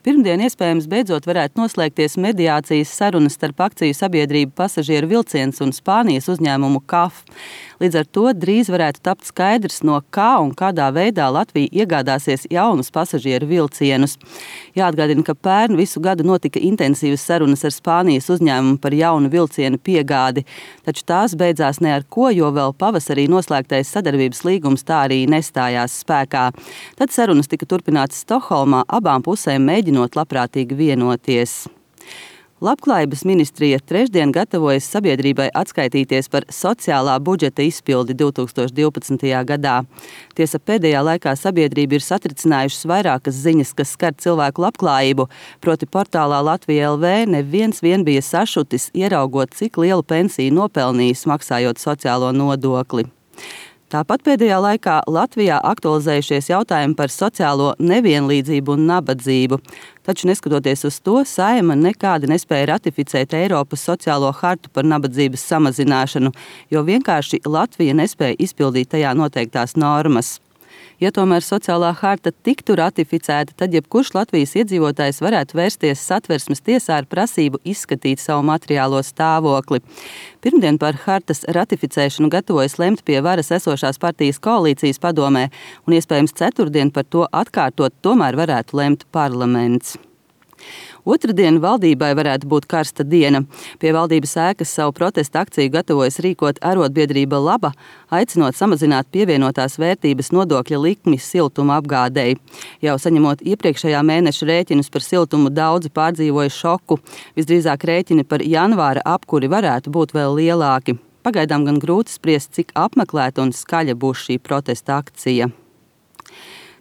Pirmdien iespējams beidzot varētu noslēgties mediācijas sarunas starp akciju sabiedrību Pasažieru vilciens un Spānijas uzņēmumu KAF. Līdz ar to drīz varētu tapt skaidrs, no kā un kādā veidā Latvija iegādāsies jaunus pasažieru vilcienus. Jāatgādina, ka pērn visu gadu notika intensīvas sarunas ar Spānijas uzņēmumu par jaunu vilcienu piegādi, taču tās beidzās ne ar ko, jo vēl pavasarī noslēgtais sadarbības līgums tā arī nestājās spēkā. Tad sarunas tika turpinātas Stokholmā, abām pusēm mēģinot labprātīgi vienoties. Labklājības ministrija trešdien gatavojas sabiedrībai atskaitīties par sociālā budžeta izpildi 2012. gadā. Tiesa, pēdējā laikā sabiedrība ir satricinājušas vairākas ziņas, kas skar cilvēku labklājību, proti portālā Latvija LV neviens vien bija sašutis, ieraugot, cik lielu pensiju nopelnījis, maksājot sociālo nodokli. Tāpat pēdējā laikā Latvijā aktualizējušies jautājumi par sociālo nevienlīdzību un nabadzību. Taču, neskatoties uz to, Saeima nekādi nespēja ratificēt Eiropas sociālo hartu par nabadzības samazināšanu, jo vienkārši Latvija nespēja izpildīt tajā noteiktās normas. Ja tomēr sociālā harta tiktu ratificēta, tad jebkurš Latvijas iedzīvotājs varētu vērsties Satversmes tiesā ar prasību izskatīt savu materiālo stāvokli. Pirmdien par hartas ratificēšanu gatavojas lemt pie varas esošās partijas koalīcijas padomē, un iespējams ceturtdien par to atkārtot tomēr varētu lemt parlaments. Otradien valdībai varētu būt karsta diena. Pie valdības ēkas savu protesta akciju gatavojas rīkot arotbiedrība Laba, aicinot samazināt pievienotās vērtības nodokļa likmi siltuma apgādei. Jau saņemot iepriekšējā mēneša rēķinus par siltumu, daudzi pārdzīvoja šoku. Visdrīzāk rēķini par janvāra apkuri varētu būt vēl lielāki. Pagaidām gan grūti spriest, cik apmeklēta un skaļa būs šī protesta akcija.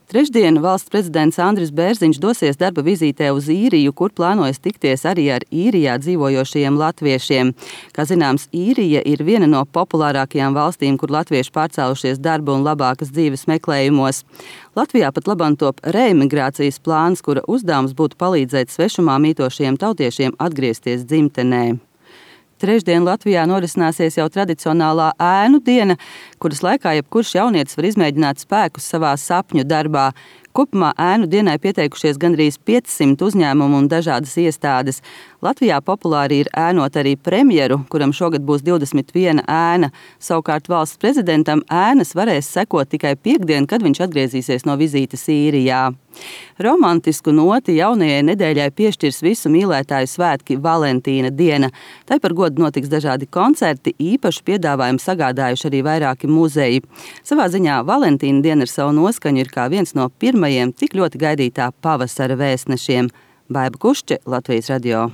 Trešdien valsts prezidents Andris Bērziņš dosies darba vizītē uz Īriju, kur plānojas tikties arī ar Īrijā dzīvojošajiem latviešiem. Kā zināms, Īrija ir viena no populārākajām valstīm, kur latvieši pārcēlušies darba un labākas dzīves meklējumos. Latvijā pat labam top reemigrācijas plāns, kura uzdevums būtu palīdzēt svešumā mītošajiem tautiešiem atgriezties dzimtenē. Trešdien Latvijā norisināsies jau tradicionālā ēnu diena, kuras laikā jebkurš jaunietis var izmēģināt spēkus savā sapņu darbā. Kopumā ēnu dienai pieteikušies gandrīz 500 uzņēmumu un dažādas iestādes. Latvijā populāri ir ēnot arī premjeru, kuram šogad būs 21 ēna. Savukārt valsts prezidentam ēnas varēs sekot tikai piektdien, kad viņš atgriezīsies no vizītes Īrijā. Romantisku noti jaunajai nedēļai piešķirs visu mīlētāju svētki Valentīna diena. Tai par godu notiks dažādi koncerti, īpašu piedāvājumu sagādājuši arī vairāki muzeji. Savā ziņā Valentīna diena ar savu noskaņu ir kā viens no pirmajiem tik ļoti gaidītā pavasara vēstnešiem. Baiba Kušče, Latvijas radio.